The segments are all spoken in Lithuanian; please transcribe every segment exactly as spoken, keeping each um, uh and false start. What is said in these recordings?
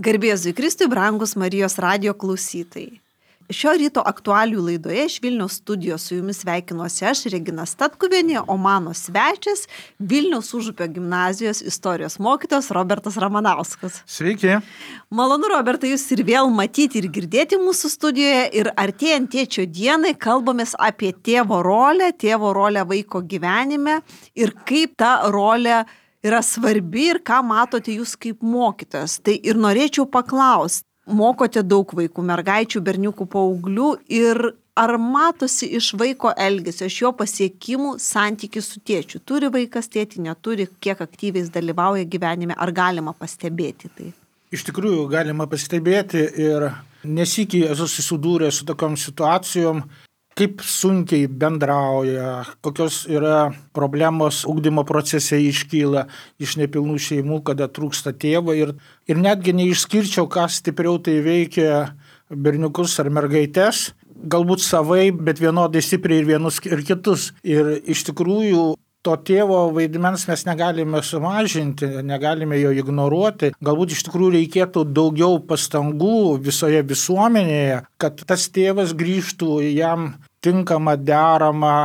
Garbė Jėzui Kristui, brangus Marijos radijo klausytojai. Šio ryto aktualių laidoje iš Vilniaus studijos su jumis sveikinuosi aš, Regina Statkuvienė, o mano svečias Vilniaus Užupio gimnazijos istorijos mokytojas Robertas Ramanauskas. Sveiki. Malonu, Robertai, jūs ir vėl matyti ir girdėti mūsų studijoje. Ir artėjant tėčio dienai kalbamės apie tėvo rolę, tėvo rolę vaiko gyvenime ir kaip ta rolė yra svarbi ir ką matote jūs kaip mokytojas. Tai ir norėčiau paklausti. Mokote daug vaikų, mergaičių, berniukų, paauglių ir ar matosi iš vaiko elgesio, iš jo pasiekimų santykį su tėčiu? Turi vaikas tėtį, neturi, kiek aktyviai jis dalyvauja gyvenime, ar galima pastebėti tai? Iš tikrųjų galima pastebėti ir nesykiai esu susidūręs su tokiom situacijom, kaip sunkiai bendrauja, kokios yra problemos ugdymo procese iškyla iš nepilnų šeimų, kada trūksta tėvo ir, ir netgi neišskirčiau, ką stipriau tai veikia berniukus ar mergaites, galbūt savai, bet vienodai stipriai ir vienus ir kitus. Ir iš tikrųjų to tėvo vaidmens mes negalime sumažinti, negalime jo ignoruoti. Galbūt iš tikrųjų reikėtų daugiau pastangų visoje visuomenėje, kad tas tėvas grįžtų jam tinkamą, deramą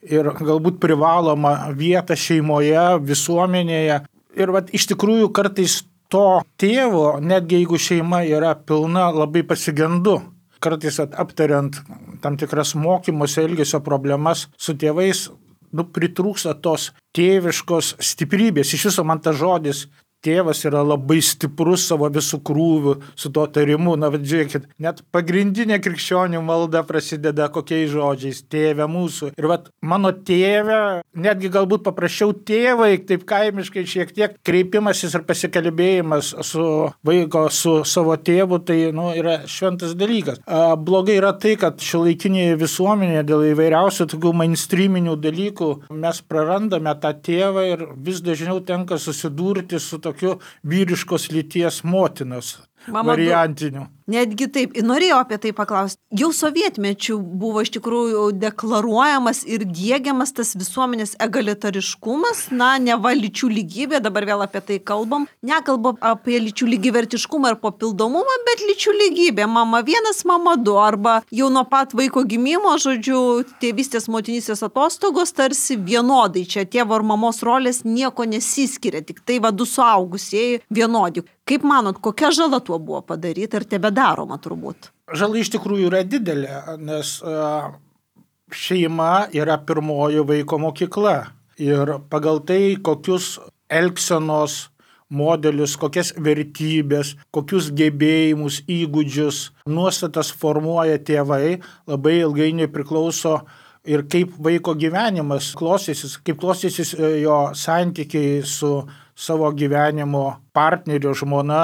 ir galbūt privalomą vietą šeimoje, visuomenėje. Ir vat, iš tikrųjų kartais to tėvo, netgi jeigu šeima yra pilna, labai pasigendu. Kartais vat, aptariant tam tikras mokymosi elgesio problemas su tėvais, nu, pritrūksta tos tėviškos stiprybės. Iš viso man tas žodis tėvas yra labai stiprus savo visų krūvių su to tarimu. Na, bet žiūrėkit, net pagrindinė krikščionių malda prasideda kokiais žodžiais – tėve mūsų. Ir vat mano tėve, netgi galbūt paprašiau tėvai, taip kaimiškai šiek tiek kreipimasis ir pasikalbėjimas su vaiko, su savo tėvu, tai nu, yra šventas dalykas. A, blogai yra tai, kad šiuolaikinėje visuomenėje dėl įvairiausių tokių mainstreaminių dalykų mes prarandame tą tėvą ir vis dažniau tenka susidurti su tokiu vyriškos lyties motinos Mama, variantiniu. Netgi taip, norėjau apie tai paklausti. Jau sovietmečių buvo iš tikrųjų deklaruojamas ir diegiamas tas visuomenės egalitariškumas, na, neva lyčių lygybė, dabar vėl apie tai kalbam. Nekalbam apie lyčių lygivertiškumą ir papildomumą, bet lyčių lygybė. Mama vienas, mama du, arba jau nuo pat vaiko gimimo, žodžiu, tėvystės motinystės atostogos tarsi vienodai. Čia tėvo ir mamos rolės nieko nesiskiria, tik tai va du suaugusieji vienodi. Kaip manot, kokia žala tuo buvo padaryta ir tebedaroma turbūt? Žala iš tikrųjų yra didelė, nes uh, šeima yra pirmoji vaiko mokykla. Ir pagal tai, kokius elgsenos modelius, kokias vertybės, kokius gebėjimus, įgūdžius, nuostatas formuoja tėvai, labai ilgainiui priklauso ir kaip vaiko gyvenimas klostysis, kaip klostysis jo santykiai su savo gyvenimo partneriu, žmona,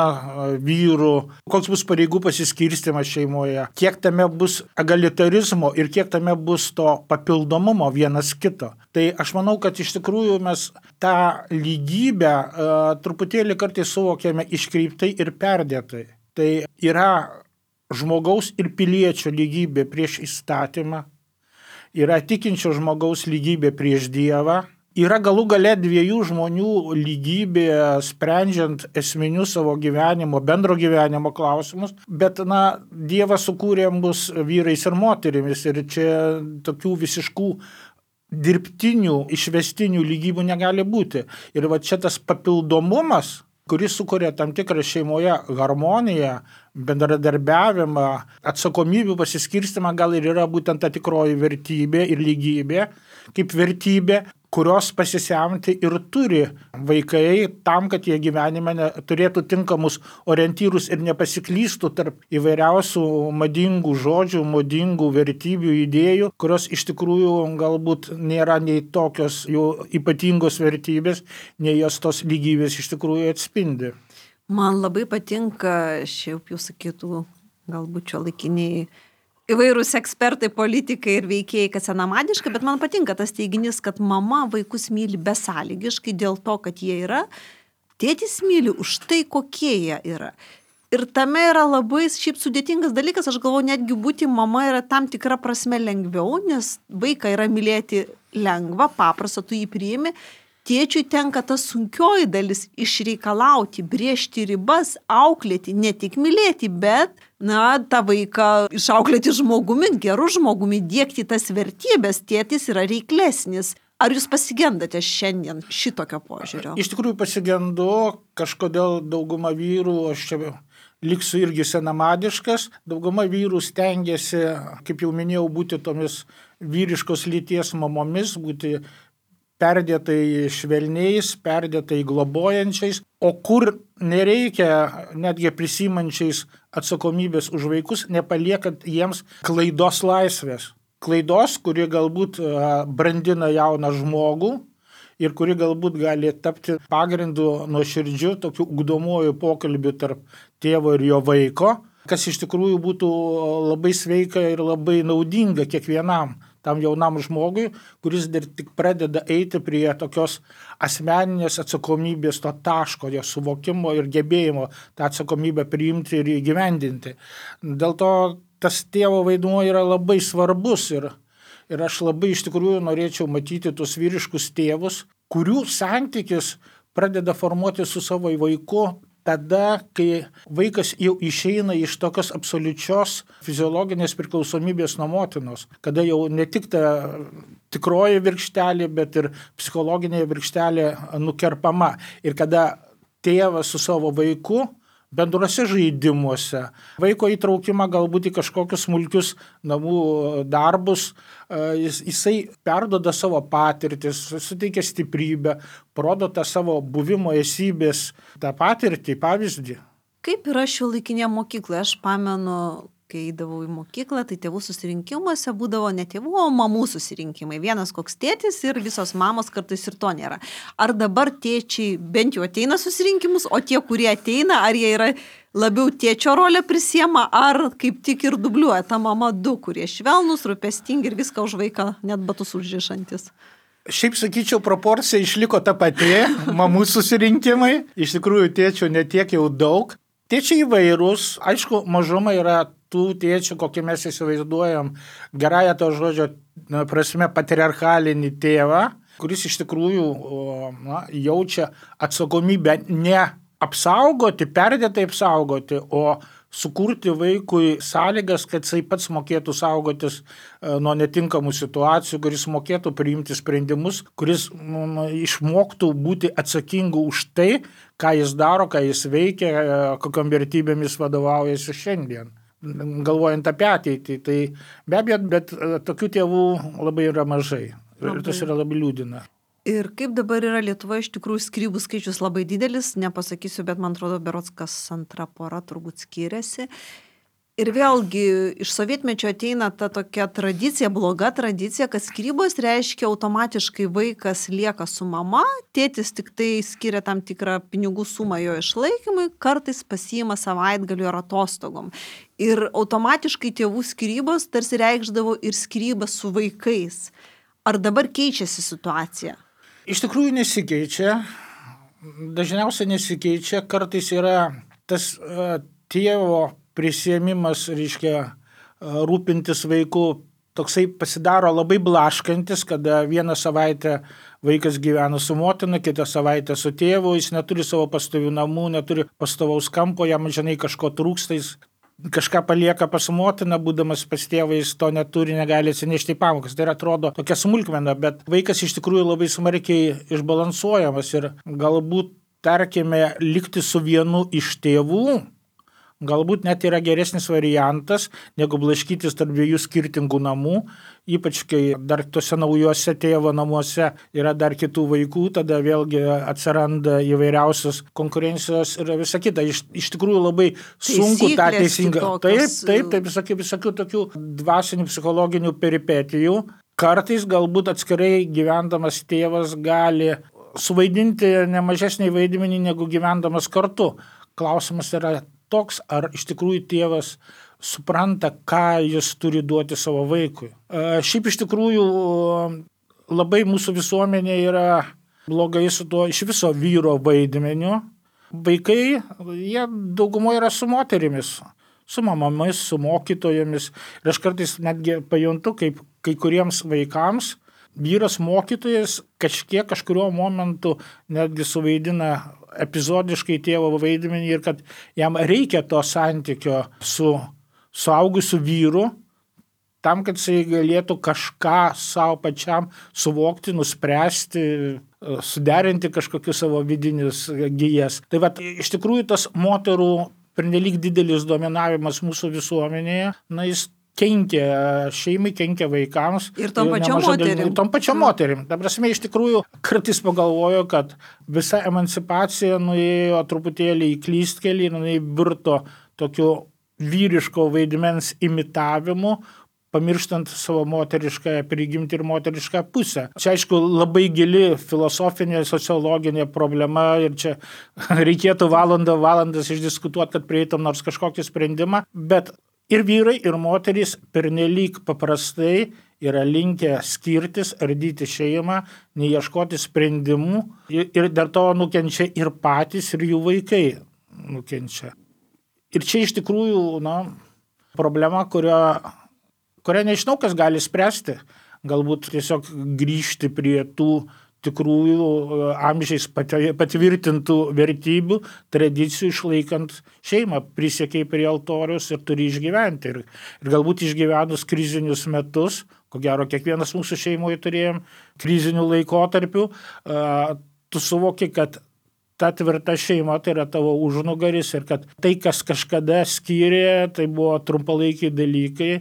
vyru, koks bus pareigų pasiskirstymas šeimoje, kiek tame bus egalitarizmo ir kiek tame bus to papildomumo vienas kito. Tai aš manau, kad iš tikrųjų mes tą lygybę uh, truputėlį kartais suvokiame iškreiptai ir perdėtai. Tai yra žmogaus ir piliečio lygybė prieš įstatymą, yra tikinčio žmogaus lygybė prieš Dievą, yra galų gale dviejų žmonių lygybė sprendžiant esminius savo gyvenimo, bendro gyvenimo klausimus, bet, na, Dievas sukūrė mus vyrais ir moterimis ir čia tokių visiškų dirbtinių, išvestinių lygybių negali būti. Ir va čia tas papildomumas, kuris sukuria tam tikrą šeimoje harmoniją, bendradarbiavimą, atsakomybių pasiskirstimą, gal ir yra būtent ta tikroji vertybė ir lygybė, kaip vertybė, kurios pasisemti ir turi vaikai tam, kad jie gyvenime turėtų tinkamus orientyrus ir nepasiklystų tarp įvairiausių madingų žodžių, madingų vertybių, idėjų, kurios iš tikrųjų galbūt nėra nei tokios jų ypatingos vertybės, nei jos tos lygybės iš tikrųjų atspindi. Man labai patinka, šiaip jau sakytų, galbūt šiuolaikiniai įvairūs ekspertai, politikai ir veikėjai, kad senamadiška, bet man patinka tas teiginys, kad mama vaikus myli besąlygiškai dėl to, kad jie yra, tėtis myli už tai, kokie jie yra. Ir tame yra labai šiaip sudėtingas dalykas, aš galvoju, netgi būti mama yra tam tikra prasme lengviau, nes vaiką yra mylėti lengva, paprasta, tu jį priimi. tėčiui tenka ta sunkioji dalis išreikalauti, brėžti ribas, auklėti, ne tik mylėti, bet, na, tą vaiką išauklėti žmogumi, gerų žmogumi, diegti tas vertybės, tėtis yra reiklesnis. Ar jūs pasigendate šiandien šitokio požiūrio? Iš tikrųjų pasigendu, kažkodėl dauguma vyrų, aš čia liksiu irgi senamadiškas, dauguma vyrų stengiasi, kaip jau minėjau, būti tomis vyriškos lyties mamomis, būti perdėtai švelniais, perdėtai globojančiais, o kur nereikia, netgi prisimančiais atsakomybės už vaikus, nepaliekant jiems klaidos laisvės. Klaidos, kuri galbūt brandina jauną žmogų ir kuri galbūt gali tapti pagrindu nuoširdžiu tokiu ugdomuoju pokalbiu tarp tėvo ir jo vaiko, kas iš tikrųjų būtų labai sveika ir labai naudinga kiekvienam tam jaunam žmogui, kuris dar tik pradeda eiti prie tokios asmeninės atsakomybės, to taško, jo suvokimo ir gebėjimo tą atsakomybę priimti ir įgyvendinti. Dėl to tas tėvo vaidmuo yra labai svarbus ir, ir aš labai iš tikrųjų norėčiau matyti tuos vyriškus tėvus, kurių santykis pradeda formuoti su savo vaiku tada, kai vaikas jau išeina iš tokios absoliučios fiziologinės priklausomybės nuo motinos, kada jau ne tik ta tikroji virkštelė, bet ir psichologinė virkštelė nukerpama ir kada tėvas su savo vaiku bendruose žaidimuose, vaiko įtraukimą galbūt į kažkokius smulkius namų darbus, jis, jisai perduoda savo patirtis, suteikia stiprybę, parodo tą savo buvimo esybės, tą patirtį, pavyzdį. Kaip yra šiuolaikinėje mokykloje? Aš pamenu, kai eidavau į mokyklą, tai tėvų susirinkimuose būdavo ne tėvų, o mamų susirinkimai. Vienas koks tėtis ir visos mamos, kartais ir to nėra. Ar dabar tėčiai bent jau ateina susirinkimus, o tie, kurie ateina, ar jie yra labiau tėčio rolę prisiema, ar kaip tik ir dubliuoja ta mama du, kurie švelnus, rūpestingi ir viską už vaiką, net batus užrišantis? Šiaip sakyčiau, proporcija išliko ta pati, mamų susirinkimai. Iš tikrųjų, tėčių netiek jau daug. Tėčiai įvairūs, aišku, mažuma yra tų tėčių, kokį mes įsivaizduojam, gerąją to žodžio prasme patriarchalinį tėvą, kuris iš tikrųjų na, jaučia atsakomybę ne apsaugoti, perdėtai apsaugoti, o sukurti vaikui sąlygas, kad jisai pats mokėtų saugotis nuo netinkamų situacijų, kuris mokėtų priimti sprendimus, kuris nu, išmoktų būti atsakingu už tai, ką jis daro, ką jis veikia, kokiom vertybėmis vadovaujasi šiandien, galvojant apie ateitį. Tai be abejo, bet tokių tėvų labai yra mažai. Ir tas yra labai liūdina. Ir kaip dabar yra Lietuvoje, iš tikrųjų skyrybų skaičius labai didelis, nepasakysiu, bet man atrodo, berods kas antra pora turbūt skiriasi. Ir vėlgi iš sovietmečio ateina ta tokia tradicija, bloga tradicija, kad skyrybos reiškia automatiškai vaikas lieka su mama, tėtis tik tai skiria tam tikrą pinigų sumą jo išlaikymui, kartais pasiima savaitgaliu ar atostogom. Ir automatiškai tėvų skyrybos tarsi reikšdavo ir skyrybas su vaikais. Ar dabar keičiasi situacija? Iš tikrųjų nesikeičia, dažniausiai nesikeičia, kartais yra tas uh, tėvo prisiėmimas, reiškia, uh, rūpintis vaiku, toksai pasidaro labai blaškantis, kada vieną savaitę vaikas gyvena su motina, kitą savaitę su tėvu, jis neturi savo pastovių namų, neturi pastovaus kampo, jam žinai kažko trūksta, jis kažką palieka pas motiną, būdamas pas tėvą, jis to neturi, negali atsinešti į pamokas. Tai atrodo tokia smulkmena, bet vaikas iš tikrųjų labai smarkiai išbalansuojamas ir galbūt, tarkime, likti su vienu iš tėvų, galbūt net yra geresnis variantas, negu blaškytis tarp dviejų skirtingų namų, ypač kai dar tose naujuose tėvo namuose yra dar kitų vaikų, tada vėlgi atsiranda įvairiausios konkurencijos ir visa kita. Iš, iš tikrųjų labai sunku tą teisingą. Taip, taip, taip, visokių, visokių tokių dvasinių, psichologinių peripetijų. Kartais galbūt atskirai gyvendamas tėvas gali suvaidinti nemažesnį vaidmenį negu gyvendamas kartu. Klausimas yra toks, ar iš tikrųjų tėvas supranta, ką jis turi duoti savo vaikui. Šiaip iš tikrųjų labai mūsų visuomenė yra blogai su tuo iš viso vyro vaidmeniu. Vaikai, jie daugumoje yra su moterimis, su mamomis, su mokytojomis. Ir aš kartais netgi pajuntu, kaip kai kuriems vaikams vyras mokytojas kažkiek kažkurio momentu netgi suvaidina epizodiškai tėvo vaidmenį ir kad jam reikia to santykio su suaugusiu vyru, tam, kad jisai galėtų kažką savo pačiam suvokti, nuspręsti, suderinti kažkokius savo vidinius gijas. Tai vat, iš tikrųjų tas moterų pernelyg didelis dominavimas mūsų visuomenėje, na, jis kenkia šeimai, kenkia vaikams. Ir tom pačiom moterim. Ir tom pačiom moterim. Ta prasme, iš tikrųjų, kartais pagalvoju, kad visa emancipacija nuėjo truputėlį į klystkelį, jinai virto tokiu vyriško vaidmens imitavimu, pamirštant savo moterišką prigimtį ir moterišką pusę. Čia, aišku, labai gili filosofinė, sociologinė problema ir čia reikėtų valandą valandas išdiskutuoti, kad prieitum nors kažkokį sprendimą, bet ir vyrai, ir moterys pernelyg paprastai yra linkę skirtis, ardyti šeimą, neieškoti sprendimų ir dėl to nukenčia ir patys, ir jų vaikai nukenčia. Ir čia iš tikrųjų, na, problema, kurio, kurią nežinau, kas gali spręsti. Galbūt tiesiog grįžti prie tų tikrųjų amžiais patvirtintų vertybių, tradicijų, išlaikant šeimą, prisiekiai prie altorius ir turi išgyventi. Ir, ir galbūt išgyvenus krizinius metus, ko gero kiekvienas mūsų šeimoje turėjom krizinių laikotarpių, tu suvoki, kad ta tvirta šeima tai yra tavo užnugaris ir kad tai, kas kažkada skyrė, tai buvo trumpalaikiai dalykai.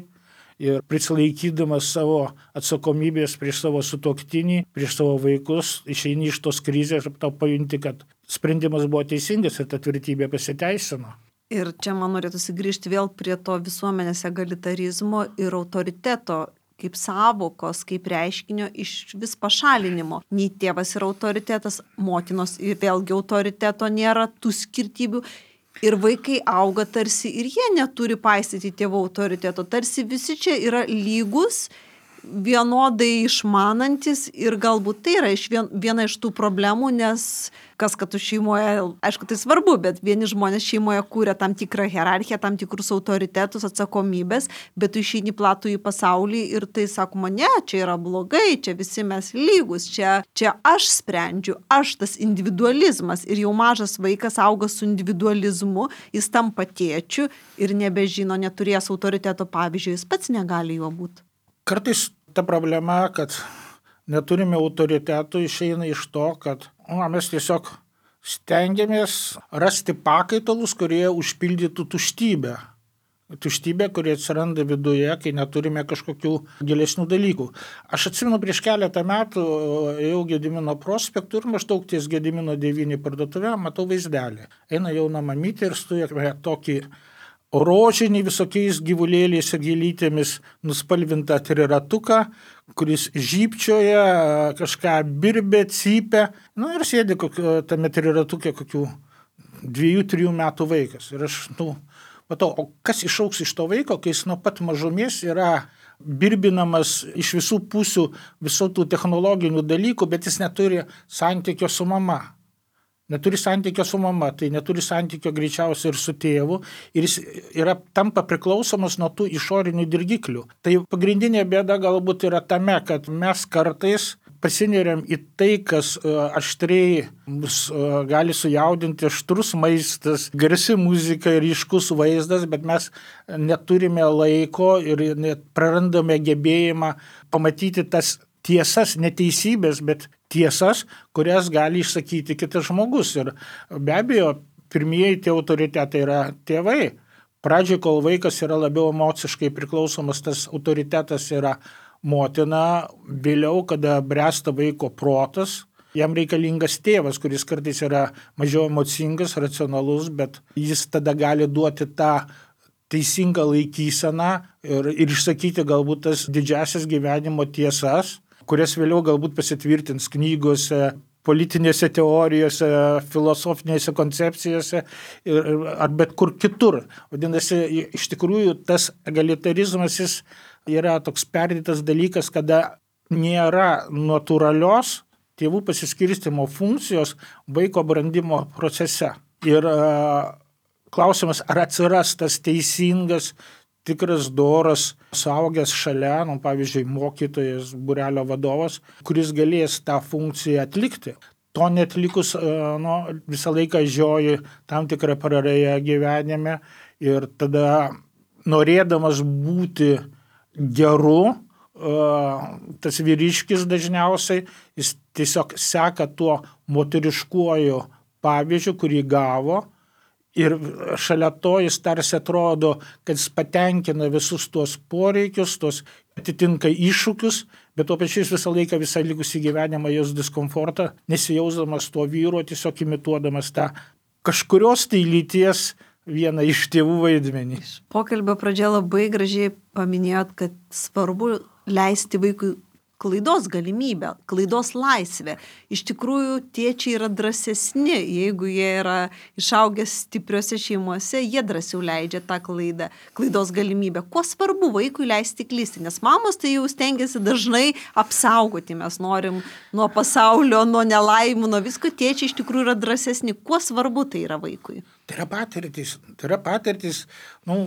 Ir prisilaikydamas savo atsakomybės prieš savo sutuoktinį, prieš savo vaikus, išeini iš tos krizės ir tau pajunti, kad sprendimas buvo teisingas ir ta tvirtybė pasiteisino. Ir čia man norėtųsi grįžti vėl prie to visuomenės egalitarizmo ir autoriteto kaip savokos, kaip reiškinio iš vis pašalinimo. Nei tėvas yra autoritetas, motinos ir vėlgi autoriteto nėra, tų skirtybių. Ir vaikai auga tarsi ir jie neturi paisyti tėvų autoriteto. Tarsi visi čia yra lygus, vienodai išmanantis ir galbūt tai yra iš vien, viena iš tų problemų, nes kas, kad tu šeimoje, aišku, tai svarbu, bet vieni žmonės šeimoje kūrė tam tikrą hierarchiją, tam tikrus autoritetus, atsakomybės, bet tu išeini platų į pasaulį ir tai sakoma, ne, čia yra blogai, čia visi mes lygus, čia, čia aš sprendžiu, aš tas individualizmas ir jau mažas vaikas auga su individualizmu, jis tampa tėčiu ir nebežino, neturės autoriteto, pavyzdžiui, jis pats negali juo būti. Kartais ta problema, kad neturime autoritetų, išeina iš to, kad na, mes tiesiog stengiamės rasti pakaitalus, kurie užpildytų tuštybę. Tuštybė, kurie atsiranda viduje, kai neturime kažkokių gilesnių dalykų. Aš atsimenu, prieš keletą metų ėjau Gedimino prospektu ir maždaug ties Gedimino devyni parduotuvė, matau vaizdelį. Eina jauna mamytė ir stuja tokį rožinį visokiais gyvulėliais ir gėlytėmis nuspalvintą triratuką, kuris žypčioja, kažką birbė, cypia. Nu ir sėdi kokio, tame triratukė kokių dviejų, trijų metų vaikas. Ir aš, nu, matau, o kas išauks iš to vaiko, kai jis nuo pat mažumės yra birbinamas iš visų pusių visų tų technologinių dalykų, bet jis neturi santykio su mama. Neturi santykio su mama, tai neturi santykio greičiausiai ir su tėvu ir jis yra, tampa priklausomas nuo tų išorinių dirgiklių. Tai pagrindinė bėda galbūt yra tame, kad mes kartais pasineriam į tai, kas aštriai mus gali sujaudinti, aštrus maistas, garsi muzika ir ryškus vaizdas, bet mes neturime laiko ir net prarandame gebėjimą pamatyti tas tiesas, neteisybės, bet tiesas, kurias gali išsakyti kitas žmogus. Ir be abejo, pirmieji tie autoritetai yra tėvai. Pradžioj, kol vaikas yra labiau emociškai priklausomas, tas autoritetas yra motina. Vėliau, kada bręsta vaiko protas, jam reikalingas tėvas, kuris kartais yra mažiau emocingas, racionalus, bet jis tada gali duoti tą teisingą laikyseną ir, ir išsakyti galbūt tas didžiasias gyvenimo tiesas, kurias vėliau galbūt pasitvirtins knygose, politinėse teorijose, filosofinėse koncepcijose ir, ar bet kur kitur. Vadinasi, iš tikrųjų tas egalitarizmas jis yra toks perdėtas dalykas, kada nėra natūralios tėvų pasiskirstymo funkcijos vaiko brandimo procese. Ir uh, klausimas, ar atsiras tas teisingas tikras doras suaugęs šalia, nu, pavyzdžiui, mokytojas, būrelio vadovas, kuris galės tą funkciją atlikti. To netlikus, nu, visą laiką žioji tam tikrą prarąją gyvenime ir tada norėdamas būti geru, tas vyriškis dažniausiai, jis tiesiog seka tuo moteriškuoju pavyzdžiu, kurį gavo, ir šalia to jis tarsi atrodo, kad jis patenkina visus tuos poreikius, tuos atitinka iššūkius, bet tuo pačiu jis visą laiką, visą likusį gyvenimą jaus diskomfortą, nesijausdamas tuo vyru, tiesiog imituodamas tą kažkurios tai lyties vieną iš tėvų vaidmenį. Pokalbio pradžioje labai gražiai paminėjot, kad svarbu leisti vaikui klaidos galimybę, klaidos laisvę. Iš tikrųjų, tėčiai yra drąsesni, jeigu jie yra išaugę stipriose šeimose, jie drąsiau leidžia tą klaidą, klaidos galimybę. Kuo svarbu vaikui leisti klysti, nes mamos tai jau stengiasi dažnai apsaugoti, mes norim nuo pasaulio, nuo nelaimų, nuo visko, tėčiai iš tikrųjų yra drąsesni. Kuo svarbu tai yra vaikui? Tai yra patirtis, tai yra patirtis, nu,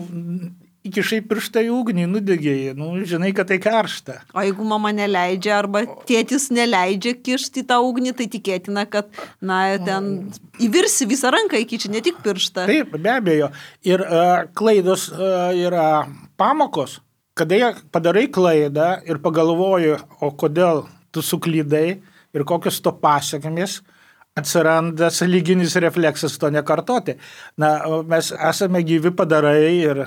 įkišai pirštą į ugnį, nudegėjai, nu, žinai, kad tai karšta. O jeigu mama neleidžia arba tėtis neleidžia kišti tą ugnį, tai tikėtina, kad, na, ten įvirsi visą ranką įkiši, ne tik pirštą. Taip, be abejo. Ir uh, klaidos uh, yra pamokos. Kada padarai klaidą ir pagalvoji, o kodėl tu suklydai ir kokios to pasiekmės, atsiranda sąlyginis refleksas to nekartoti. Na, mes esame gyvi padarai ir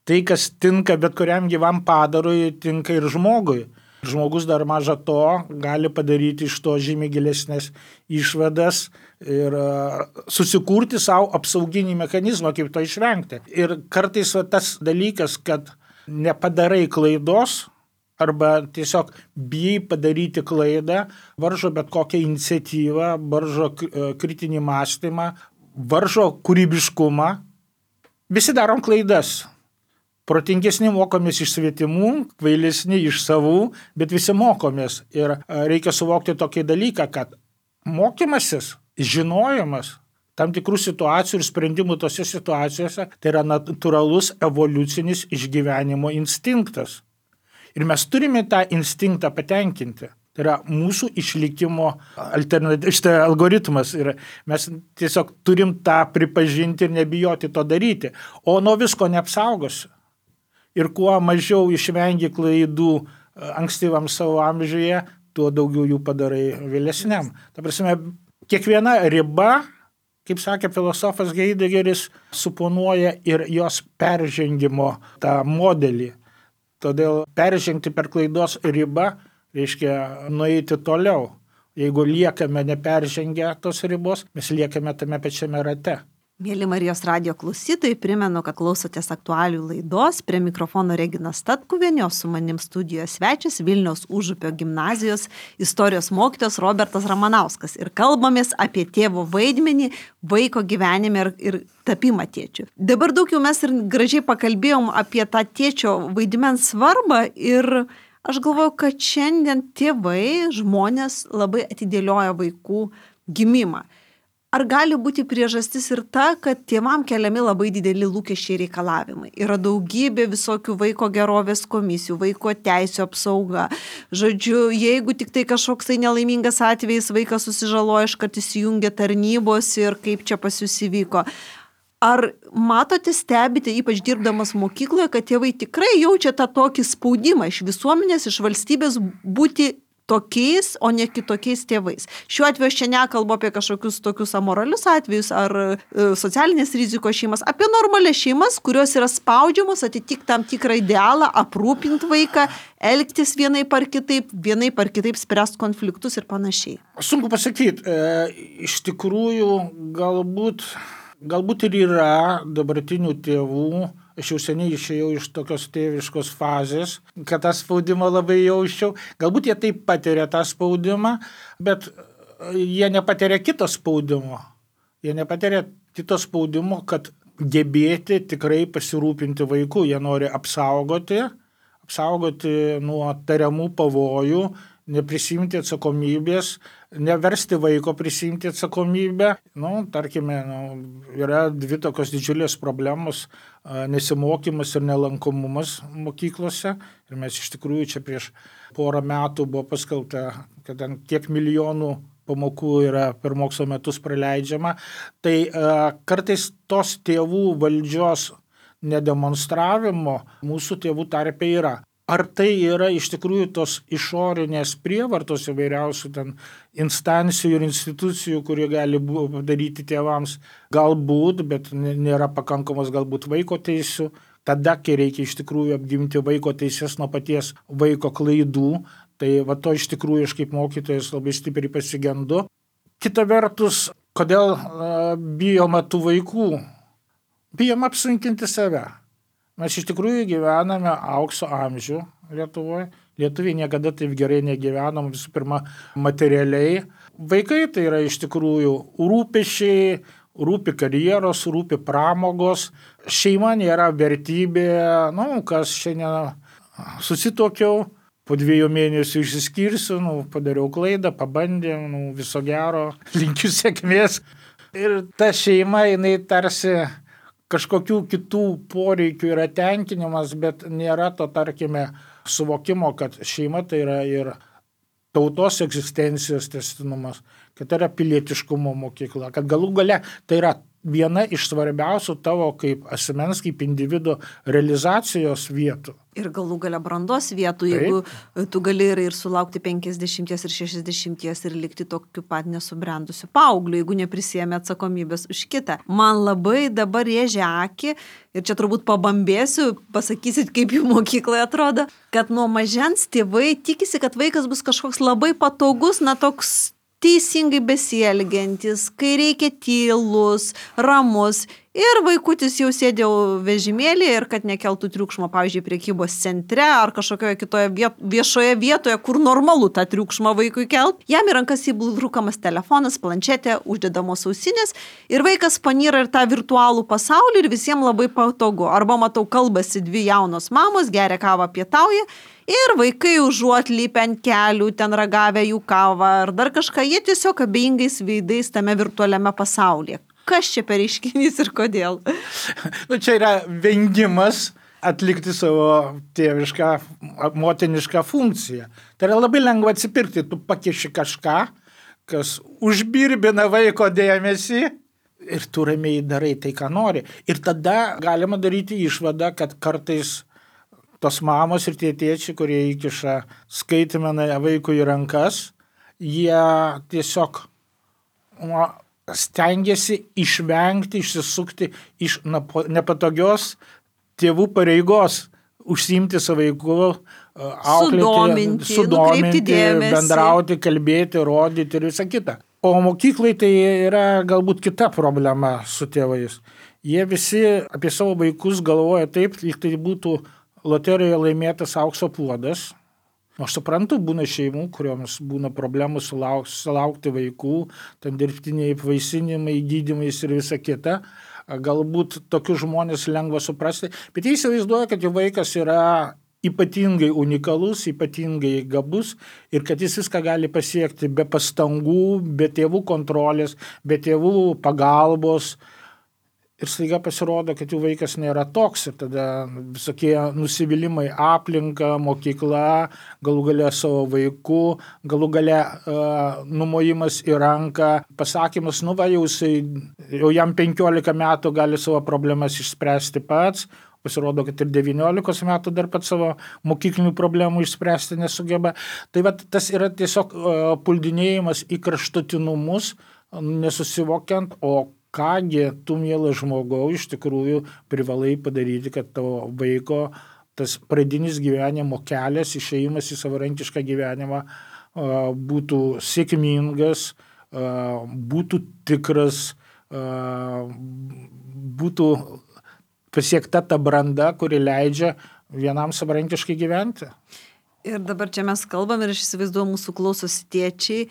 tai, kas tinka bet kuriam gyvam padarui, tinka ir žmogui. Žmogus dar maža to gali padaryti iš to žymiai gilesnės išvadas ir susikurti savo apsauginį mechanizmą, kaip to išvengti. Ir kartais va, tas dalykas, kad nepadarai klaidos, arba tiesiog bijai padaryti klaidą, varžo bet kokią iniciatyvą, varžo kritinį mąstymą, varžo kūrybiškumą. Visi darom klaidas. Protingesni mokomės iš svetimų, kvailesni iš savų, bet visi mokomės. Ir reikia suvokti tokį dalyką, kad mokymasis, žinojimas tam tikrų situacijų ir sprendimų tose situacijose, tai yra natūralus evoliucinis išgyvenimo instinktas. Ir mes turime tą instinktą patenkinti. Tai yra mūsų išlikimo alternatyvus algoritmas. Ir mes tiesiog turim tą pripažinti ir nebijoti to daryti. O nuo visko neapsaugosi. Ir kuo mažiau išvengi klaidų ankstyvam savo amžiuje, tuo daugiau jų padarai vėlesniam. Ta prasme, kiekviena riba, kaip sakė filosofas Heideggeris, suponuoja ir jos peržengimo tą modelį. Todėl peržengti per klaidos ribą reiškia nueiti toliau. Jeigu liekame neperžengę tos ribos, mes liekame tame pačiame rate. Mėly Marijos radijo klausytojai, primenu, kad klausotės aktualių laidos. Prie mikrofono Regina Statkuvienė, o su manim studijos svečias Vilniaus Užupio gimnazijos istorijos mokytojas Robertas Ramanauskas. Ir kalbamės apie tėvo vaidmenį vaiko gyvenime ir, ir tapimą tėčiu. Dabar daug jau mes ir gražiai pakalbėjom apie tą tėčio vaidmens svarbą ir aš galvoju, kad šiandien tėvai, žmonės labai atidėlioja vaikų gimimą. Ar gali būti priežastis ir ta, kad tėvam keliami labai dideli lūkesčiai reikalavimai? Yra daugybė visokių vaiko gerovės komisijų, vaiko teisų apsauga. Žodžiu, jeigu tik tai kažkoks tai nelaimingas atvejis, vaikas susižaloja, iškart įsijungia tarnybos ir kaip čia pas jūs įvyko. Ar matote, stebite, ypač dirbdamas mokykloje, kad tėvai tikrai jaučia tą tokį spaudimą iš visuomenės, iš valstybės būti tokiais, o ne kitokiais tėvais. Šiuo atveju aš čia nekalbu apie kažkokius tokius amoralius atvejus ar e, socialinės rizikos šeimas, apie normalias šeimas, kurios yra spaudžiamos atitikti tam tikrą idealą, aprūpinti vaiką, elgtis vienaip ar kitaip, vienaip ar kitaip spręsti konfliktus ir panašiai. Sunku pasakyti, e, iš tikrųjų galbūt, galbūt ir yra dabartinių tėvų. Aš jau seniai išėjau iš tokios tėviškos fazės, kad tą spaudimą labai jausčiau. Galbūt jie taip patiria tą spaudimą, bet jie nepatiria kito spaudimo. Jie nepatiria kito spaudimo, kad gebėti tikrai pasirūpinti vaiku. Jie nori apsaugoti, apsaugoti nuo tariamų pavojų, neprisimti atsakomybės, neversti vaiko prisimti atsakomybę. Nu, tarkime, nu, yra dvi tokios didžiulės problemos - nesimokymas ir nelankomumas mokyklose. Ir mes iš tikrųjų čia prieš porą metų buvo paskelbta, kad ten tiek milijonų pamokų yra per mokslo metus praleidžiama. Tai a, kartais tos tėvų valdžios nedemonstravimo mūsų tėvų tarpe yra. Ar tai yra iš tikrųjų tos išorinės prievartos įvairiausių ten instancijų ir institucijų, kurie gali padaryti tėvams? Galbūt, bet nėra pakankamos galbūt vaiko teisių. Tada, kai reikia iš tikrųjų apginti vaiko teises nuo paties vaiko klaidų, tai va to iš tikrųjų aš kaip mokytojas labai stipriai pasigendu. Kita vertus, kodėl uh, bijoma tų vaikų? Bijom apsunkinti save. Mes iš tikrųjų gyvename aukso amžių Lietuvoje. Lietuviai niekada taip gerai negyvenom, visų pirma, materialiai. Vaikai tai yra iš tikrųjų rūpesčiai, rūpi karjeros, rūpi pramogos. Šeima nėra vertybė, nu, kas šiandien susituokiau, po dviejų mėnesių išsiskirsiu, nu, padariau klaidą, pabandėm, nu, viso gero, linkiu sėkmės. Ir ta šeima, jinai tarsi kažkokių kitų poreikių yra tenkinimas, bet nėra to, tarkime, suvokimo, kad šeima tai yra ir tautos egzistencijos tęstinumas, kad tai yra pilietiškumo mokykla, kad galų gale tai yra viena iš svarbiausių tavo kaip asmens, kaip individo realizacijos vietų. Ir galų gale brandos vietų, jeigu Taip. Tu gali ir, ir sulaukti penkiasdešimties ir šešiasdešimties ir likti tokiu pat nesubrendusiu paaugliu, jeigu neprisėmė atsakomybės už kitą. Man labai dabar rėžia akį, ir čia turbūt pabambėsiu, pasakysit, kaip jų mokykloje atrodo, kad nuo mažens tėvai tikisi, kad vaikas bus kažkoks labai patogus, na toks teisingai besielgiantis, kai reikia tylus, ramus. Ir vaikutis jau sėdė vežimėlėje ir kad nekeltų triukšmo, pavyzdžiui, prekybos centre ar kažkokioje kitoje viet, viešoje vietoje, kur normalu tą triukšmą vaikui kelt. Jam į rankas įbrukamas telefonas, planšetė, uždedamos ausinės ir vaikas panyra ir tą virtualų pasaulį ir visiems labai patogu. Arba matau, kalbasi dvi jaunos mamos, geria kavą, pietauja. Ir vaikai užuot lypę ant kelių, ten ragavę jų kavą ar dar kažką, jie tiesiog abejingais veidais tame virtualiame pasaulyje. Kas čia per reiškinys ir kodėl? Nu, čia yra vengimas atlikti savo tėvišką, motinišką funkciją. Tai yra labai lengva atsipirkti, tu pakiši kažką, kas užbirbina vaiko dėmesį ir tu ramiai darai tai, ką nori. Ir tada galima daryti išvadą, kad kartais tos mamos ir tie tėčiai, kurie įkiša skaitmeną vaikui į rankas, jie tiesiog nu, stengiasi išvengti, išsisukti iš nepatogios tėvų pareigos, užsiimti su vaiku, auklėti, sudominti, sudominti bendrauti, kalbėti, rodyti ir visą kitą. O mokyklai tai yra galbūt kita problema su tėvais. Jie visi apie savo vaikus galvoja taip, lyg tai būtų loterijoje laimėtas aukso puodas. Aš suprantu, būna šeimų, kurioms būna problemų sulauk, sulaukti vaikų, ten dirbtiniai apvaisinimai, gydymais ir visa kita. Galbūt tokius žmonės lengva suprasti, bet jie įsivaizduoja, kad jų vaikas yra ypatingai unikalus, ypatingai gabus ir kad jis viską gali pasiekti be pastangų, be tėvų kontrolės, be tėvų pagalbos. Ir staiga pasirodo, kad jų vaikas nėra toks ir tada visokie nusivylimai aplinka, mokykla, galų gale savo vaiku, galų gale uh, numojimas į ranką, pasakymas, nu va, jau, jisai, jau jam penkiolika metų gali savo problemas išspręsti pats, pasirodo, kad ir devyniolikos metų dar pat savo mokyklinių problemų išspręsti nesugeba. Tai va, tas yra tiesiog uh, puldinėjimas į kraštutinumus, nesusivokiant, o kągi tu, mielas žmogau, iš tikrųjų privalai padaryti, kad tavo vaiko tas pradinis gyvenimo kelias, išėjimas į savarankišką gyvenimą būtų sėkmingas, būtų tikras, būtų pasiekta ta branda, kuri leidžia vienam savarankiškai gyventi. Ir dabar čia mes kalbam ir aš įsivaizduoju, mūsų klausosi tėčiai.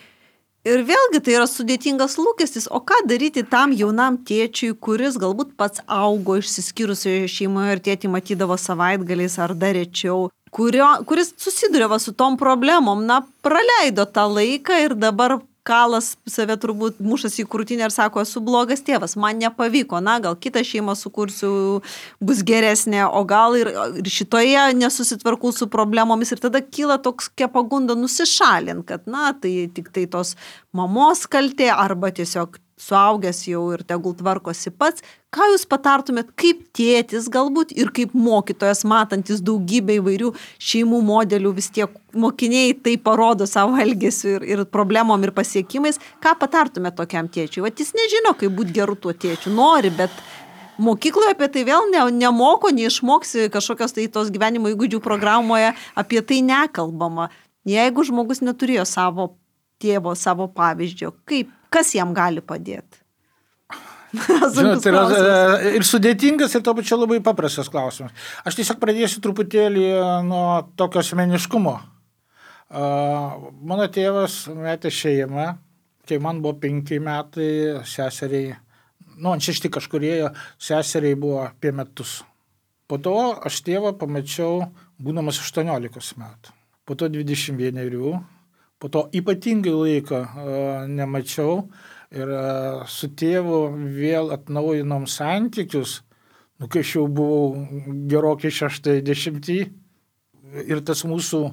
Ir vėlgi tai yra sudėtingas lūkestis, o ką daryti tam jaunam tėčiui, kuris galbūt pats augo išsiskyrusioje šeimoje ir tėtį matydavo savaitgaliais ar dar rečiau. kurio, kuris susiduria va su tom problemom, na, praleido tą laiką ir dabar kalas save turbūt mušasi į krūtinę ir sako, esu blogas tėvas, man nepavyko, na, gal kitą šeimą sukursiu, bus geresnė, o gal ir, ir šitoje nesusitvarkau su problemomis ir tada kyla toks pagunda nusišalint, kad, na, tai tik tai tos mamos kaltė arba tiesiog suaugęs jau ir tegul tvarkosi pats. Ką jūs patartumėt kaip tėtis galbūt ir kaip mokytojas, matantis daugybę įvairių šeimų modelių, vis tiek mokiniai tai parodo savo elgesiu ir, ir problemom ir pasiekimais, ką patartumėt tokiam tėčiui? Vat jis nežino, kaip būti geru tuo tėčiu, nori, bet mokykloje apie tai vėl ne, nemoko, neišmoksi kažkokios tai tos gyvenimo įgūdžių programoje, apie tai nekalbama. Jeigu žmogus neturėjo savo tėvo, savo pavyzdžio, kaip, kas jam gali padėti? Žinot, tai yra ir sudėtingas, ir to pačiu labai paprastas klausimas. Aš tiesiog pradėsiu truputėlį nuo tokio asmeniškumo. Mano tėvas metė šeimą, kai man buvo penki metai, seseriai, nu, ant šešti kažkurėjo, seseriai buvo apie metus. Po to aš tėvą pamačiau, būdamas aštuoniolikos metų. Po to dvidešimt vienerių, po to ypatingai laiko nemačiau. Ir su tėvu vėl atnaujinom santykius, nu, kai aš jau buvau gerokai šeštai dešimtį. Ir tas mūsų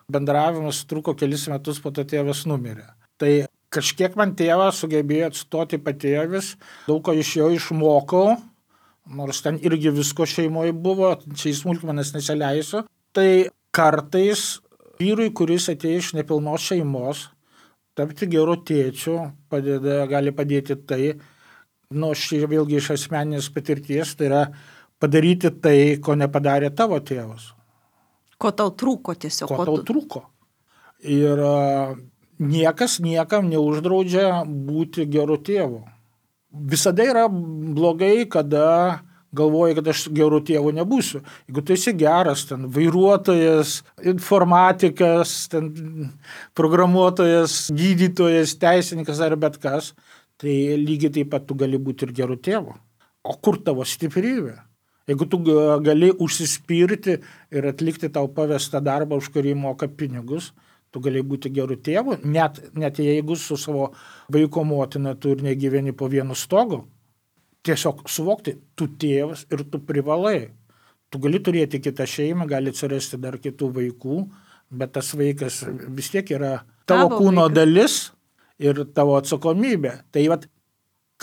bendravimas truko kelis metus, po to tėvas numirė. Tai kažkiek man tėvas sugebėjo atstoti patėvis, daug ko iš jo išmokau, nors ten irgi visko šeimoje buvo, čia į smulkmenas nesileisiu. Tai kartais vyrui, kuris atėjo iš nepilnos šeimos, tapti geru tėčiu padeda, gali padėti tai, nu, aš vėlgi iš asmeninės patirties, tai yra padaryti tai, ko nepadarė tavo tėvas. Ko tau trūko tiesiog. Ko tau trūko. Ir uh, niekas niekam neuždraudžia būti geru tėvu. Visada yra blogai, kada galvoji, kad aš geru tėvu nebūsiu. Jeigu tu esi geras, ten vairuotojas, informatikas, ten programuotojas, gydytojas, teisininkas ar bet kas, tai lygiai taip pat tu gali būti ir geru tėvu. O kur tavo stiprybė? Jeigu tu gali užsispirti ir atlikti tau pavestą darbą, už kurį moka pinigus, tu gali būti geru tėvu, net, net jeigu su savo vaiko motina tu ir negyveni po vienu stogu. Tiesiog suvokti, tu tėvas ir tu privalai. Tu gali turėti kitą šeimą, gali atsirasti dar kitų vaikų, bet tas vaikas vis tiek yra tavo, tavo kūno vaikas. Dalis ir tavo atsakomybė. Tai vat,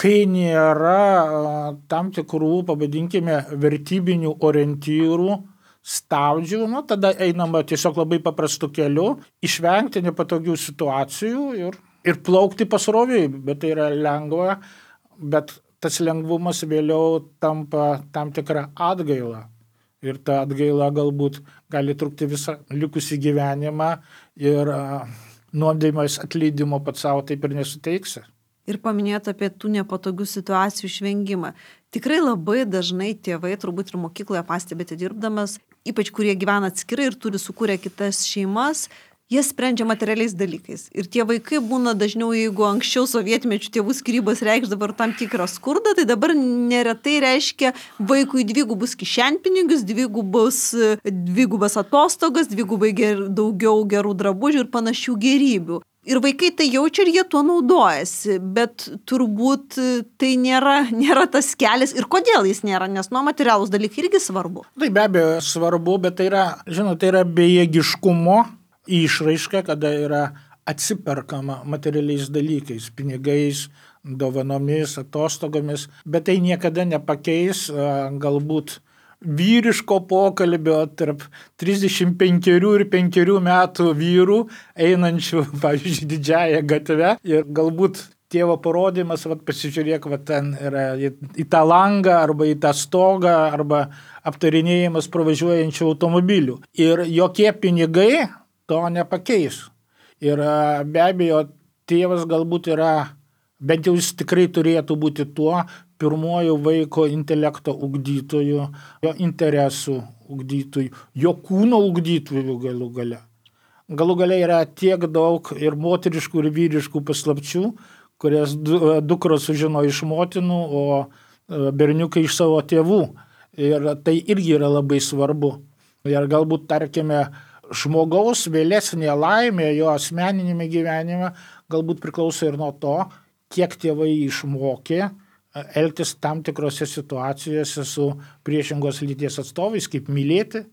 kai nėra tam tikrų, pavadinkime, vertybinių orientyrų, stabdžių, nu, tada einama tiesiog labai paprastu keliu, išvengti nepatogių situacijų ir, ir plaukti pasroviui, bet tai yra lengva, bet tas lengvumas vėliau tampa tam tikrą atgailą. Ir ta atgaila galbūt gali trukti visą likusį gyvenimą ir uh, nuodėmės atleidimo pats savo taip ir nesuteiksi. Ir paminėti apie tų nepatogių situacijų išvengimą. Tikrai labai dažnai tėvai, turbūt ir mokykloje pastebėte dirbdamas, ypač kurie gyvena atskirai ir turi sukūrę kitas šeimas, jie sprendžia materialiais dalykais. Ir tie vaikai būna dažniau, jeigu anksčiau sovietmečių tėvų skyrybos reikšdavo tam tikrą skurdą, tai dabar neretai reiškia vaikui dvigubus kišenpinigius, dvigubus, dvigubas atostogas, dvigubai ger, daugiau gerų drabužių ir panašių gerybių. Ir vaikai tai jaučia ir jie tuo naudojasi, bet turbūt tai nėra, nėra tas kelias. Ir kodėl jis nėra, nes nuo materialūs dalykai irgi svarbu. Tai be abejo svarbu, bet tai yra, žinot, tai yra bejėgiškumo išraiška, kada yra atsiperkama materialiais dalykais, pinigais, dovanomis, atostogomis, bet tai niekada nepakeis galbūt vyriško pokalbio tarp trisdešimt penkerių ir penkerių metų vyrų, einančių, pavyzdžiui, didžiąją gatvę ir galbūt tėvo parodymas, vat, pasižiūrėk, vat, ten yra į, į tą langą arba į tą stogą arba aptarinėjimas pravažiuojančių automobilių. Ir jokie pinigai to nepakeis. Ir be abejo, tėvas galbūt yra, bent jau jis tikrai turėtų būti tuo pirmuoju vaiko intelekto ugdytoju, jo interesų ugdytoju, jo kūno ugdytoju galų gale. Galų gale yra tiek daug ir moteriškų ir vyriškų paslapčių, kurias dukros sužino iš motinų, o berniukai iš savo tėvų. Ir tai irgi yra labai svarbu. Ir galbūt, tarkime, žmogaus vėlesnė laimė jo asmeninėme gyvenime galbūt priklauso ir nuo to, kiek tėvai išmokė elgtis tam tikrose situacijose su priešingos lyties atstovais, kaip mylėti.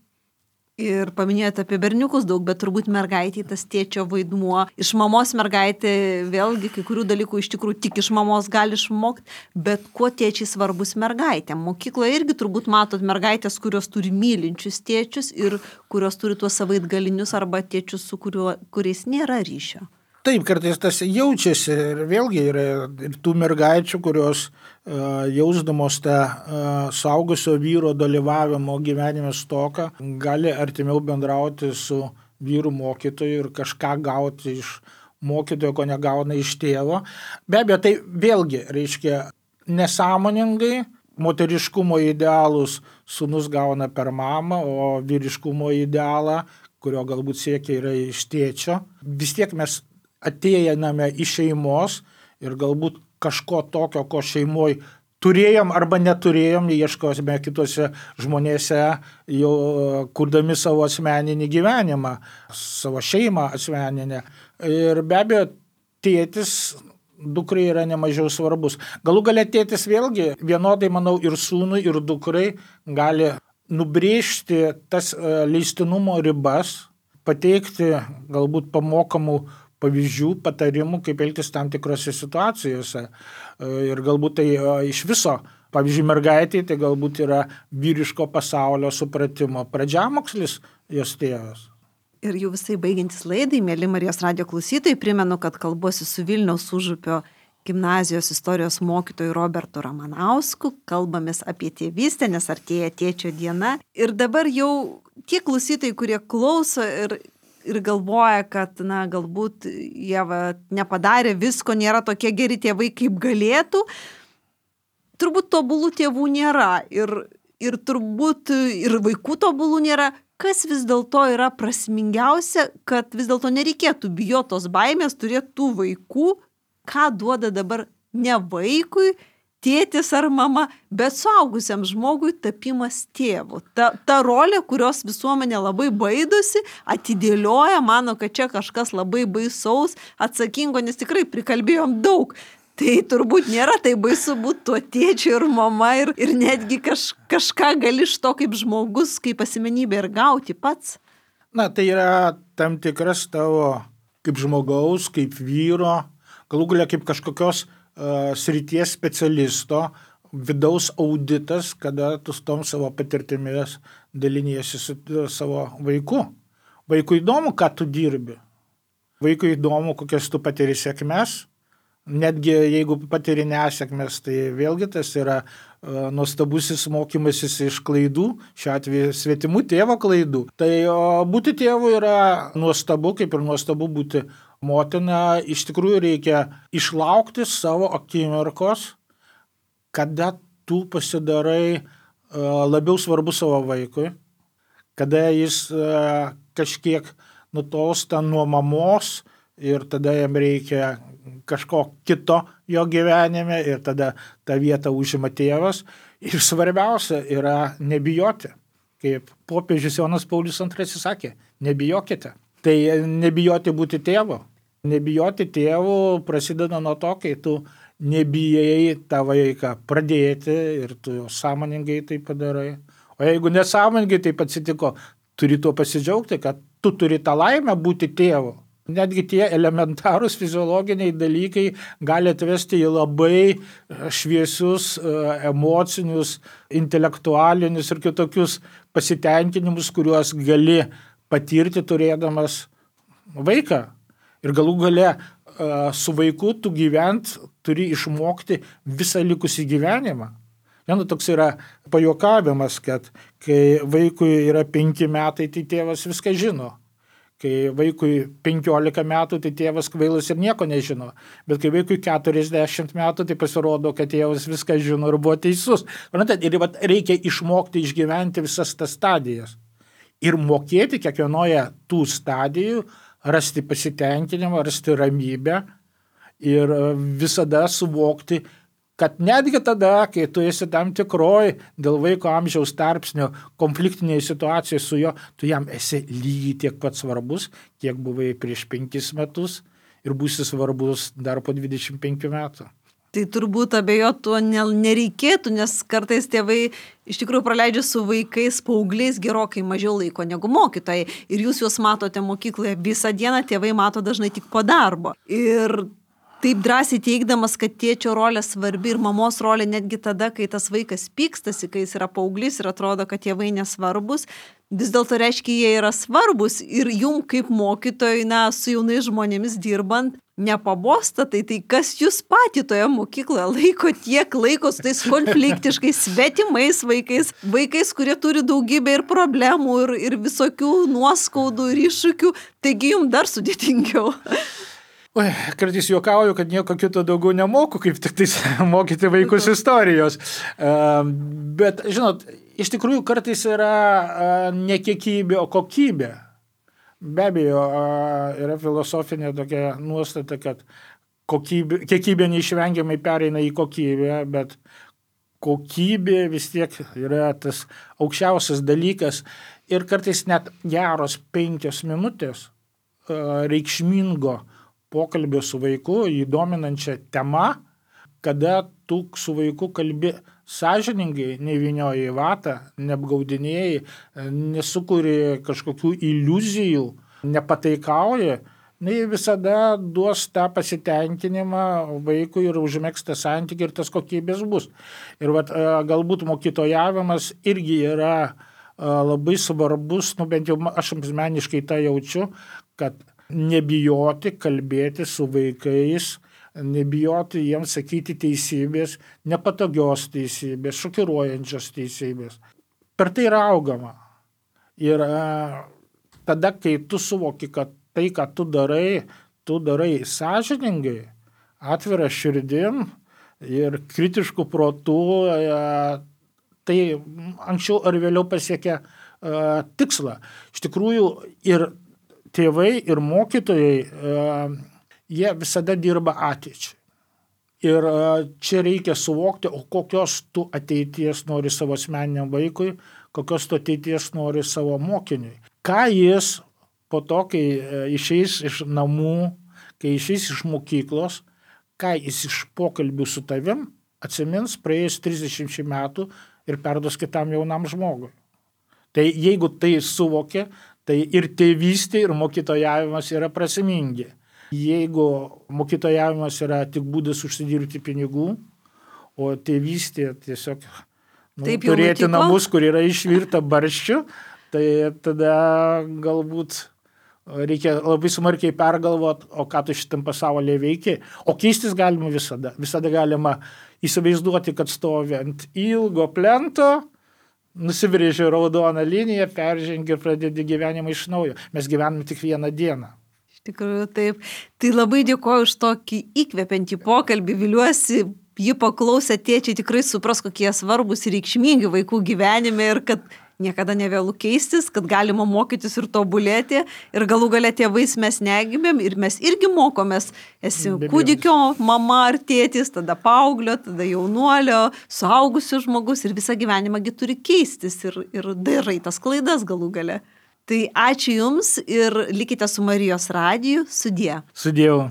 Ir paminėjote apie berniukus daug, bet turbūt mergaitė tas tėčio vaidmuo. Iš mamos mergaitė vėlgi kai kurių dalykų iš tikrųjų tik iš mamos gali išmokti, bet kuo tėčiai svarbus mergaitėm. Mokykloje irgi turbūt matot mergaitės, kurios turi mylinčius tėčius ir kurios turi tuos savaitgalinius arba tėčius, su kuriuo, kuriais nėra ryšio. Taip, kartais tas jaučiasi ir vėlgi yra ir tų mergaičių, kurios uh, jausdamos tą uh, suaugusio vyro dalyvavimo gyvenime stoką, gali artimiau bendrauti su vyru mokytoju ir kažką gauti iš mokytojo, ko negauna iš tėvo. Be abejo, tai vėlgi reiškia nesąmoningai moteriškumo idealus sūnus gauna per mamą, o vyriškumo idealą, kurio galbūt siekia yra iš tėčio. Vis tiek mes atėjame iš šeimos ir galbūt kažko tokio, ko šeimoje turėjom arba neturėjom, ieškosime kitose žmonėse, jau kurdami savo asmeninį gyvenimą, savo šeimą asmeninę. Ir be abejo, tėtis dukrai yra nemažiau svarbus. Galų gale tėtis vėlgi vienodai, manau, ir sūnui, ir dukrai gali nubrėžti tas leistinumo ribas, pateikti galbūt pamokamų pavyzdžių, patarimų, kaip elgtis tam tikrose situacijose. Ir galbūt tai iš viso, pavyzdžiui, mergaitė, tai galbūt yra vyriško pasaulio supratimo pradžiamokslis jos tėvas. Ir jau visai baigiantis laidai, mėly Marijos radijo klausytojai, primenu, kad kalbuosi su Vilniaus Užupio gimnazijos istorijos mokytoju Robertu Ramanausku, kalbamės apie tėvystę, nes artėja tėčio diena. Ir dabar jau tie klausytojai, kurie klauso ir ir galvoja, kad, na, galbūt jie va, nepadarė visko, nėra tokie geri tėvai, kaip galėtų. Turbūt tobulų tėvų nėra ir, ir turbūt ir vaikų tobulų nėra. Kas vis dėlto yra prasmingiausia, kad vis dėlto nereikėtų bijotos baimės turėti tų vaikų, ką duoda dabar ne vaikui, tėtis ar mama, bet suaugusiam žmogui tapimas tėvu. Ta, ta rolė, kurios visuomenė labai baidosi, atidėlioja, mano, kad čia kažkas labai baisaus, atsakingo, nes tikrai prikalbėjom daug. Tai turbūt nėra tai baisu būti tuo tėčiu ir mama ir, ir netgi kaž, kažką gali iš to kaip žmogus, kaip asmenybė ir gauti pats. Na, tai yra tam tikras tavo kaip žmogaus, kaip vyro, galų galia kaip kažkokios srities specialisto, vidaus auditas, kada tu su tom savo patirtimis daliniesi su savo vaiku. Vaikui įdomu, ką tu dirbi. Vaikui įdomu, kokias tu patiri sėkmes. Netgi jeigu patiri nesėkmes, tai vėlgi tas yra uh, nuostabusis mokymasis iš klaidų, šiuo atveju svetimų tėvo klaidų. Tai uh, būti tėvu yra nuostabu, kaip ir nuostabu būti motina. Iš tikrųjų reikia išlaukti savo akimirkos, kada tu pasidarai uh, labiau svarbu savo vaikui, kada jis uh, kažkiek nutolsta nuo mamos ir tada jam reikia kažko kito jo gyvenime ir tada tą vietą užima tėvas. Ir svarbiausia yra nebijoti. Kaip popiežius Jonas Paulius antrasis sakė, nebijokite. Tai nebijoti būti tėvu. Nebijoti tėvu prasideda nuo to, kai tu nebijai tą vaiką pradėti ir tu sąmoningai tai padarai. O jeigu nesąmoningai taip atsitiko, turi tuo pasidžiaugti, kad tu turi tą laimę būti tėvu. Netgi tie elementarūs fiziologiniai dalykai gali atvesti į labai šviesius, emocinius, intelektualinius ir kitokius pasitenkinimus, kuriuos gali patirti turėdamas vaiką. Ir galų gale su vaiku tu gyvent turi išmokti visą likusį gyvenimą. Vienu toks yra pajuokavimas, kad kai vaikui yra penki metai, tai tėvas viską žino. Kai vaikui penkiolika metų, tai tėvas kvailas ir nieko nežino. Bet kai vaikui keturiasdešimt metų, tai pasirodo, kad tėvas viską žino ir buvo teisus. Ir reikia išmokti išgyventi visas tas stadijas. Ir mokėti kiekvienoje tų stadijų rasti pasitenkinimą, rasti ramybę ir visada suvokti, kad netgi tada, kai tu esi tam tikroj dėl vaiko amžiaus tarpsnio konfliktinėje situacijoje su juo, tu jam esi lygiai tiek pat svarbus, kiek buvai prieš penkis metus ir būsi svarbus dar po dvidešimt penkių metų. Tai turbūt abejot tuo nereikėtų, nes kartais tėvai iš tikrųjų praleidžia su vaikais, paaugliais gerokai mažiau laiko negu mokytojai. Ir jūs juos matote mokykloje visą dieną, tėvai mato dažnai tik po darbo. Ir taip drąsiai teigdamas, kad tėčio rolė svarbi ir mamos rolė netgi tada, kai tas vaikas pykstasi, kai jis yra paauglys ir atrodo, kad tėvai nesvarbus, vis dėlto reiškia, jie yra svarbus ir jum kaip mokytojai, na, su jaunais žmonėmis dirbant, nepabosta, tai tai kas jūs patį toje mokykloje laiko tiek laiko su tais konfliktiškais, svetimais vaikais, vaikais, kurie turi daugybę ir problemų, ir, ir visokių nuoskaudų, ir iššūkių, taigi jums dar sudėtingiau. Oi, kartais juokauju, kad nieko kito daugiau nemoku, kaip tik tais mokyti vaikus istorijos. Bet, žinot, iš tikrųjų kartais yra ne kiekybė, o kokybė. Be abejo, yra filosofinė tokia nuostata, kad kokybė, kiekybė neišvengiamai pereina į kokybę, bet kokybė vis tiek yra tas aukščiausias dalykas ir kartais net geros penkios minutės reikšmingo pokalbio su vaiku, įdominančią temą, kada tu su vaiku kalbi sąžiningai, nevynioji į vatą, neapgaudinėjai, nesukuri kažkokių iliuzijų, nepataikauji, tai visada duos tą pasitenkinimą vaikui ir užmėgs tą santykį ir tas kokybės bus. Ir vat, galbūt mokytojavimas irgi yra labai svarbus, nu bent jau aš asmeniškai tą jaučiu, kad nebijoti kalbėti su vaikais, nebijoti jiems sakyti teisybės, nepatogios teisybės, šokiruojančios teisybės. Per tai yra augama. Ir tada, kai tu suvoki, kad tai, ką tu darai, tu darai sąžiningai, atvira širdim ir kritišku protu, tai anksčiau ar vėliau pasiekia tikslą. Iš tikrųjų, ir tėvai, ir mokytojai, jie visada dirba ateičiai. Ir čia reikia suvokti, o kokios tu ateities nori savo asmeniniam vaikui, kokios tu ateities nori savo mokiniui. Ką jis po to, kai išeis iš namų, kai išeis iš mokyklos, ką jis iš pokalbių su tavim atsimins praėjus trisdešimt metų ir perduos kitam jaunam žmogui. Tai jeigu tai suvokia, tai ir tėvystė, ir mokytojavimas yra prasmingi. Jeigu mokytojavimas yra tik būdas užsidirbti pinigų, o tėvystė tiesiog nu, turėti nutiko. Namus, kur yra išvirta barščių, tai tada galbūt reikia labai smarkiai pergalvoti, o ką tu šitam pasaulyje veiki. O keistis galima visada. Visada galima įsivaizduoti, kad stovi ant ilgo plento, nusibrėži raudoną liniją, peržengi ir pradedi gyvenimą iš naujo. Mes gyvename tik vieną dieną. Iš tikrųjų, taip. Tai labai dėkoju už tokį įkvepiantį pokalbį. Viliuosi, jį paklausę tėčiai tikrai supras, kokie svarbus ir reikšmingi vaikų gyvenime ir kad niekada nevėlu keistis, kad galima mokytis ir tobulėti. Ir galų gale tėvais mes negimėm ir mes irgi mokomės. Esi kūdikio mama ar tėtis, tada paauglio, tada jaunuolio, suaugusio žmogus ir visą gyvenimą gi turi keistis ir, ir darai tas klaidas galų gale. Tai ačiū Jums ir likite su Marijos radiju. Sudie. Sudėjau.